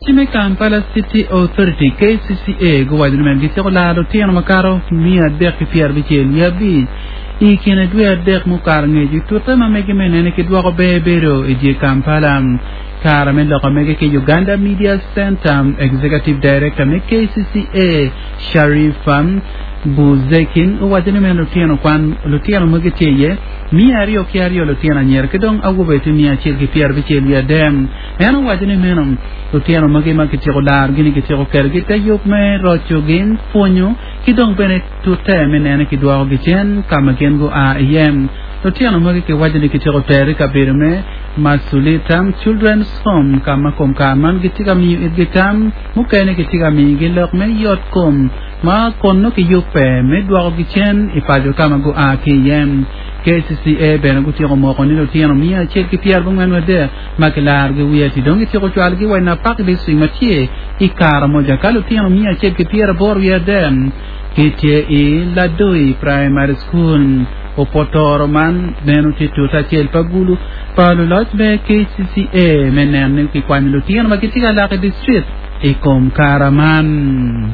Ci me Kampala City Authority, KCCA, guwaco ni meno gityeko laro lutino makato 365 i kine dwe adek mukato angec i tute ma megi me nene ki dwoko ber bedo i dye Kampala. Kare me loko mege ki Uganda Media Centre, Executive Director me KCCA, Sharifa Buzeki owaco ni meno lutino kwan lutino magi tye iye 202 lutino anyira ki dong awobe tye 163. En owaco ni meno lutino magi ma kityeko larogi-ni kityeko ketogi i te yub me rocogi, pwonyo, ki dong bene tute me nene kidwokogi cen ka ma gin gua iye. Lutino magi kiwaco ni kityeko tero i kabedo me Masulita Children's Home ka ma kom kare man gitye ka miyo itgi tam, mukene kitye ka miyogi lok me yot kom ma kun nongo kiyubbe me dwokogi cen i paco ka ma gua ki iye. KCCA bene gutyeko moko ni lutino 143 ma kilarogi wiye ati dong gityeko cwalogi wa i Napak District ma tye i Karamoja ka lutino 183 gitye i Ladoi Primary School. Opotoro man meno tye tute acel pa gulu pa luloc me KCCA me neno ni kikwanyo lutino ma gitye ka lak i district i kom kara man.